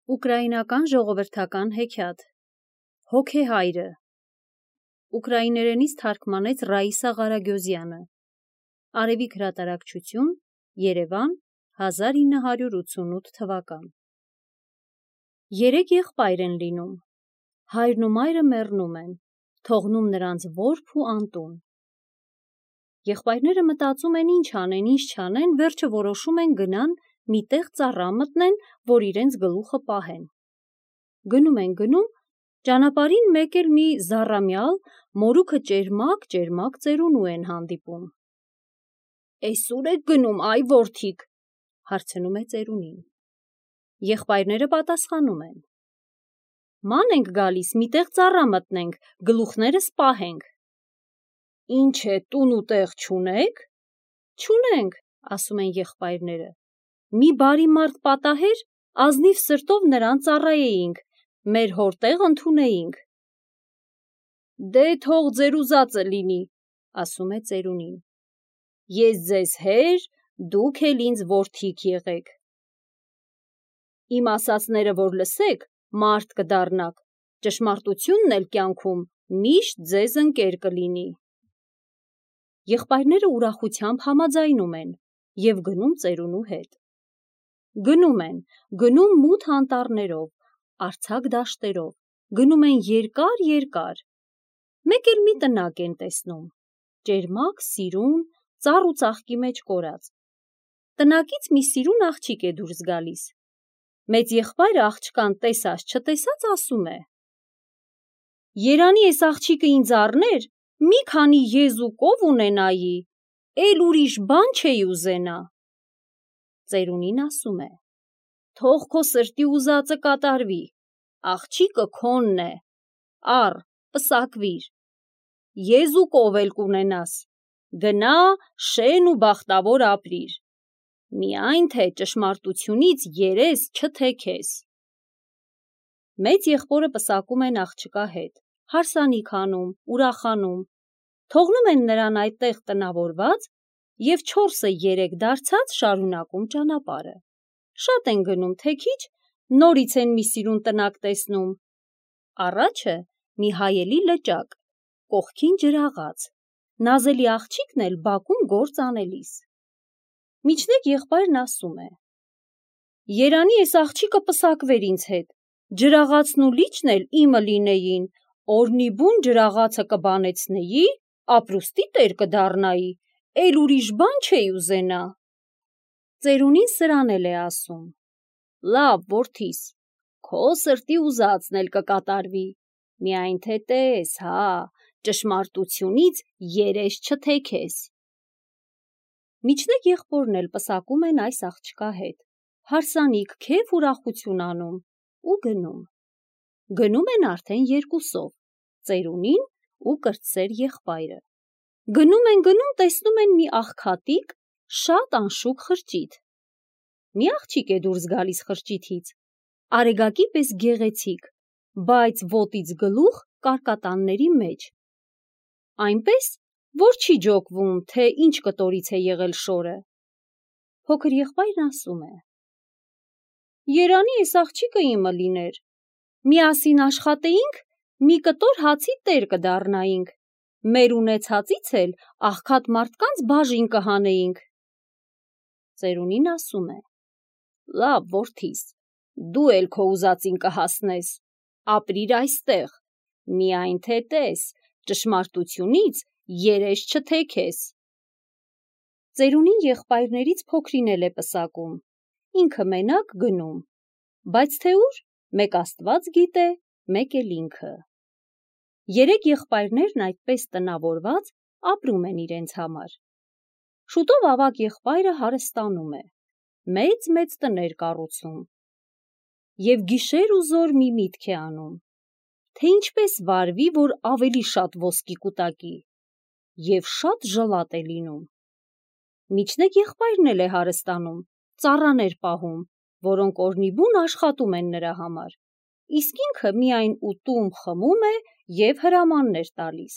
Ուկրաինական ժողովրդական հեքիաթ Հոգեհայրը ուկրաիներենից թարգմանեց Ռաիսա Ղարագյոզյանը Արևիկ հրատարակչություն Երևան 1988 թվական Երեք եղբայր են լինում հայրն ու մայրը մեռնում են թողնում նրանց որբ ու անտուն Եղբայրները մտածում են ինչ անեն ինչ չանեն վերջը որոշում են գնան մի տեղ ծառա մտնեն, որ իրենց գլուխը պահեն։ Գնում են գնում, ճանապարհին մեկ էլ մի զառամյալ, մորուքը ճերմակ ծերունու են հանդիպում։ «Էս ուր եք գնում, այ որդիկ», հարցնում է ծերունին։ Եղբայրները պատասխանում են. «Ման ենք գալիս, մի տեղ ծառա մտնենք, գլուխներս պահենք»։ «Ինչ է, տուն ու տեղ չունեք»։ «Չունենք», ասում են եղբայրները։ Մի բարի մարդ պատահեր, ազնիվ սրտով նրան ծառայեինք, մեր հոր տեղ ընդունեինք։ Դե թող ձեր ուզածը լինի, ասում է ծերունին։ Ես ձեզ հեր, դուք էլ ինձ որդիկ եղեք։ Իմ ասածները որ լսեք, մարդ կդառնաք, ճշմարտությունն էլ կյանքում միշտ ձեզ ընկեր կլինի։ Եղբայրները ուրախությամբ համաձայնում են և գնում ծերունու հետ։ Գնում են, գնում մութ անտառներով, արձակ դաշտերով, գնում են երկար, մեկ էլ մի տնակ են տեսնում, ճերմակ, սիրուն, ծառ ու ծաղկի մեջ կորած։ Տնակից մի սիրուն աղջիկ է դուրս գալիս։ Մեծ եղբայրը աղջկան տեսած-չտեսած ասում է. Երանի էս աղջիկը ինձ առներ, մի քանի եզ ու կով ունենայի, էլ ուրիշ բան չէի ուզենա։ Ծերունին ասում է. Թող քո սրտի ուզածը կատարվի, աղջիկը քոնն է, առ, պսակվիր, եզ ու կով էլ կունենաս, գնա, շեն ու բախտավոր ապրիր, միայն թե ճշմարտությունից երես չթեքես։ Մեծ եղբորը պսակում են աղջկա հետ, հարսանիք անում, ուրախանում, թողնում են նրան այդտեղ տնավորված և 4-3 դարձած շարունակում ճանապարհը։ Շատ են գնում, թե քիչ, նորից են մի սիրուն տնակ տեսնում։ Առաջը մի հայելի լճակ, կողքին ջրաղաց, նազելի աղջիկն էլ բակում գործ անելիս։ Միջնեկ եղբայրն ասում է. Երանի էս աղջիկը պսակվեր ինձ հետ, ջրաղացն ու լիճն էլ իմը լինեին, օրնիբուն ջրաղացը կբանեցնեի, ապրուստի տեր կդառնայի, էլ ուրիշ բան չէի ուզենա։ Ծերունին սրան էլ է ասում. Լավ, որդիս, քո սրտի ուզածն էլ կկատարվի, միայն թե տես, ճշմարտությունից երես չթեքես։ Միջնեկ եղբորն էլ պսակում են այս աղջկա հետ, հարսանիք, քեֆ ուրախություն անում ու գնում։ Գնում են արդեն երկուսով, ծերունին ու կրտսեր եղբայրը։ Գնում են, տեսնում են մի աղքատիկ, շատ անշուք խրճիթ։ Մի աղջիկ է դուրս գալիս խրճիթից, արեգակի պես գեղեցիկ, բայց ոտից գլուխ կարկատանների մեջ։ Այնպես, որ չի ջոկվում, թե ինչ կտորից է եղել շորը։ Փոքր եղբայրն ասում է. Երանի էս աղջիկը իմը լիներ, միասին աշխատեինք, մի կտոր հացի տեր կդառնայինք, մեր ունեցածից էլ աղքատ մարդկանց բաժին կհանեինք։ Ծերունին ասում է. Լավ, որդիս, դու էլ քո ուզածին կհասնես, ապրիր այստեղ, միայն թե տես, ճշմարտությունից երես չթեքես։ Ծերունին եղբայրներից փոքրին էլ է պսակում, ինքը մենակ գնում, բայց թե ուր, մեկ Աստված գիտե, մեկ էլ ինքը։ Երեք եղբայրներն այդպես տնավորված ապրում են իրենց համար։ Շուտով ավագ եղբայրը հարստանում է, մեծ տներ կառուցում և գիշեր ու զօր մի միտք է անում, թե ինչպես վարվի, որ ավելի շատ ոսկի կուտակի, և շատ ժլատ է լինում։ Միջնեկ եղբայրն էլ է հարստանում, ծառաներ պահում, որոնք օրնիբուն աշխատում են նրա համար, իսկ ինքը միայն ուտում, խմում է և հրամաններ տալիս։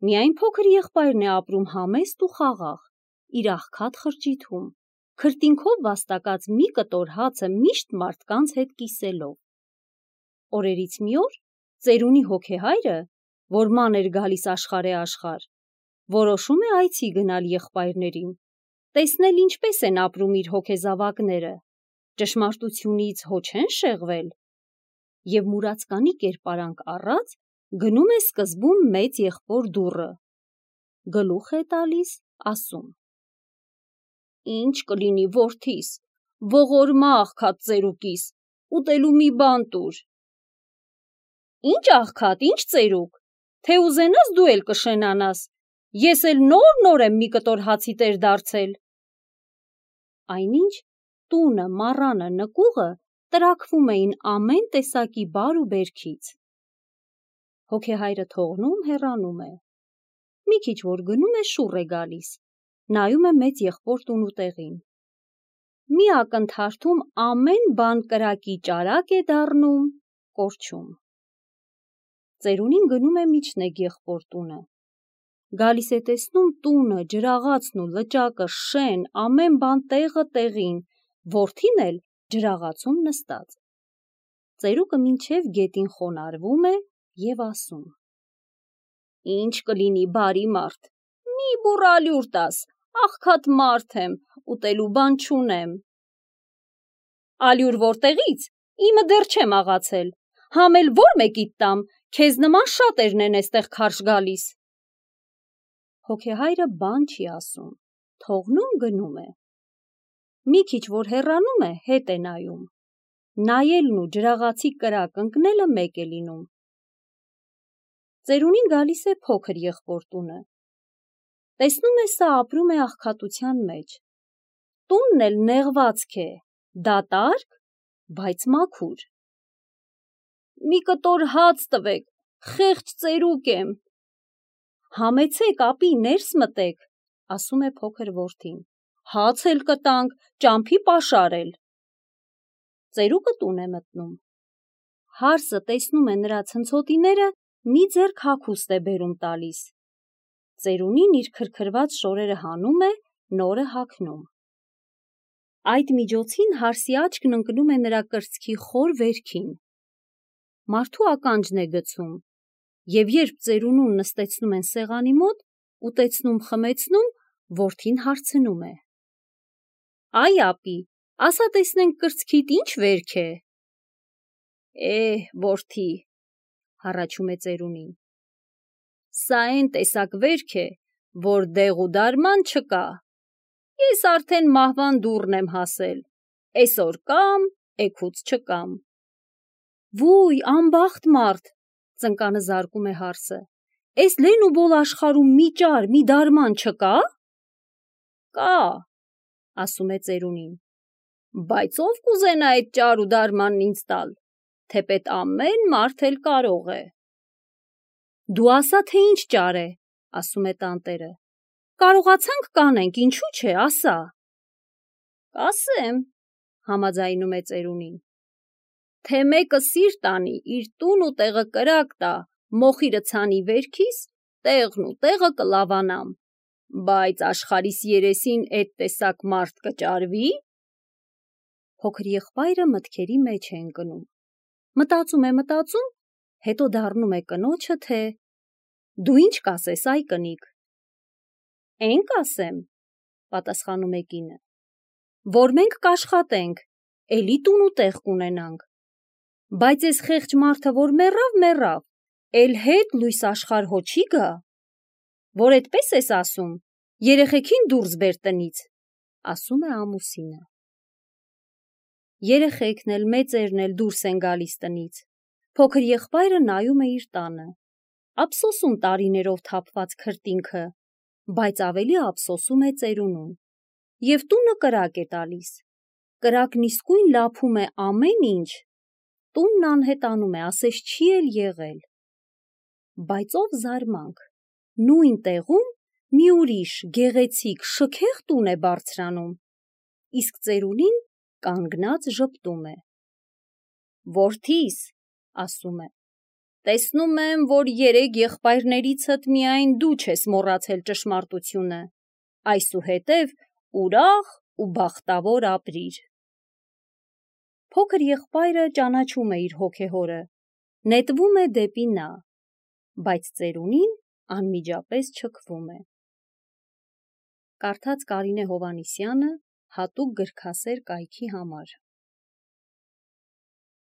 Միայն փոքր եղբայրն է ապրում համեստ ու խաղաղ, իր աղքատ խրճիթում, քրտինքով վաստակած մի կտոր հացը միշտ մարդկանց հետ կիսելով։ Օրերից մի օր ծերունի հոգեհայրը, որ ման էր գալիս աշխարհ, որոշում է այցի գնալ եղբայրներին, տեսնել ինչպես են ապրում իր հոգեզավակները, ճշմարտությունից հո չեն շեղվել, և մուրացկանի կերպարանք առած գնում է սկզբում մեծ եղբոր դուռը, գլուխ է տալիս, ասում. «Ինչ կլինի որդիս, ողորմա աղքատ ծերուկիս, ուտելու մի բան տուր»։ «Ինչ աղքատ, ինչ ծերուկ, թե ուզենաս դու էլ կշենանաս, ես էլ նոր եմ մի կտոր հացի տեր դարձել»։ Այնինչ տունը, մառանը, նկուղը տրաքվում էին ամեն տեսակի բար ու բերքից։ Հոգեհայրը թողնում, հեռանում է։ Մի քիչ որ գնում է, շուռ է գալիս, նայում է մեծ եղբոր տունուտեղին։ Մի ակնթարթում ամեն բան կրակի ճարակ է դառնում, կորչում։ Ծերունին գնում է միջնեկ եղբոր տունը։ Գալիս է տեսնում տունը, ջրաղացն ու լճակը շեն, ամեն բան տեղը տեղին, որդին էլ ջրաղացում նստած։ Ծերուկը մինչև գետին խոնարհվում է և ասում. «Ինչ կլինի բարի մարդ, մի բուռ ալյուր տաս, աղքատ մարդ եմ, ուտելու բան չունեմ»։ «Ալյուր որտեղից, իմը դեռ չեմ աղացել, համ էլ որ մեկիդ տամ, քեզ նման շատերն են էստեղ քարշ գալիս»։ Հոգեհայրը բան չի ասում, թողնում գնում է։ Մի քիչ որ հեռանում է, հետ է նայում, նայելն ու ջրաղացի կրակ ընկնելը մեկ է լինում։ Ծերունին գալիս է փոքր եղբոր տունը։ Տեսնում է, սա ապրում է աղքատության մեջ։ Տունն էլ նեղվածք է, դատարկ, բայց մաքուր։ «Մի կտոր հաց տվեք, խեղճ ծերուկ եմ»։ «Համեցեք, ապի, ներս մտեք», ասում է փոքր որդին, «հաց էլ կտանք, ճամփի պաշար էլ»։ Ծերուկը տուն է մտնում։ Հարսը տեսնում է նրա ցնցոտիները, մի ձեռք հագուստ է բերում տալիս։ Ծերունին իր քրքրված շորերը հանում է, նորը հագնում։ Այդ միջոցին հարսի աչքն ընկնում է նրա կրծքի խոր վերքին։ Մարդու ականջն է գցում, և երբ ծերունուն նստեցնում են սեղանի մոտ, ուտեցնում-խմեցնում, որդին հարցնում է. «Այ ապի, ասա տեսնենք կրծքիդ ինչ վերք է»։ Որդի, հառաչում է ծերունին, սա էն տեսակ վերք է, որ դեղ ու դարման չկա։ Ես արդեն մահվան դուռն եմ հասել, էսօր կամ, էգուց չկամ։ Վույ, անբախտ մարդ, ծնկանը զարկում է հարսը, էս լեն ու բոլ աշխարհում մի ճար, մի դարման չկա։ Կա, ասում է ծերունին, բայց ով կուզենա այդ ճար ու դարմանն ինձ տալ, թեպետ ամեն մարդ էլ կարող է։ Դու ասա, թե ինչ ճար է, ասում է տանտերը, կարողացանք կանենք, ինչու՞ չէ, ասա։ Կասեմ, համաձայնում է ծերունին, թե մեկը սիրտ անի, իր տուն ու տեղը կրակ տա, մոխիրը ցանի վերքիս, տեղն ու տեղը կլավանամ, բայց աշխարհիս երեսին էդ տեսակ մարդ կճարվի՞։ Փոքր եղբայրը մտքերի մեջ է ընկնում։ Մտածում, հետո դառնում է կնոջը, թե «Դու ինչ կասես, այ կնիկ»։ «Էն կասեմ», պատասխանում է կինը, «որ մենք կաշխատենք, էլի տուն ու տեղ կունենանք, բայց էս խեղճ մարդը որ մեռավ, էլ հետ լույս աշխարհ հո չի գա։ Որ էդպես ես ասում, երեխեքին դուրս բեր տնից», ասում է ամուսինը։ Երեխեքն էլ, մեծերն էլ դուրս են գալիս տնից։ Փոքր եղբայրը նայում է իր տանը, ափսոսում տարիներով թափված քրտինքը, բայց ավելի ափսոսում է ծերունուն։ Եվ տունը կրակ է տալիս։ Կրակն իսկույն լափում է ամեն ինչ։ Տունն անհետանում է, ասես չի էլ եղել։ Բայց ով զարմանք, նույն տեղում մի ուրիշ գեղեցիկ, շքեղ տուն է բարձրանում, իսկ ծերունին կանգնած ժպտում է։ Որդիս, ասում է, տեսնում եմ, որ 3 եղբայրներիցդ միայն դու չես մոռացել ճշմարտությունը, այսուհետև ուրախ ու բախտավոր ապրիր։ Փոքր եղբայրը ճանաչում է իր հոգեհորը, նետվում է դեպի նա, բայց ծերունին անմիջապես չքվում է։ Կարդաց Կարինե Հովհաննիսյանը հատուկ գրքասեր կայքի համար։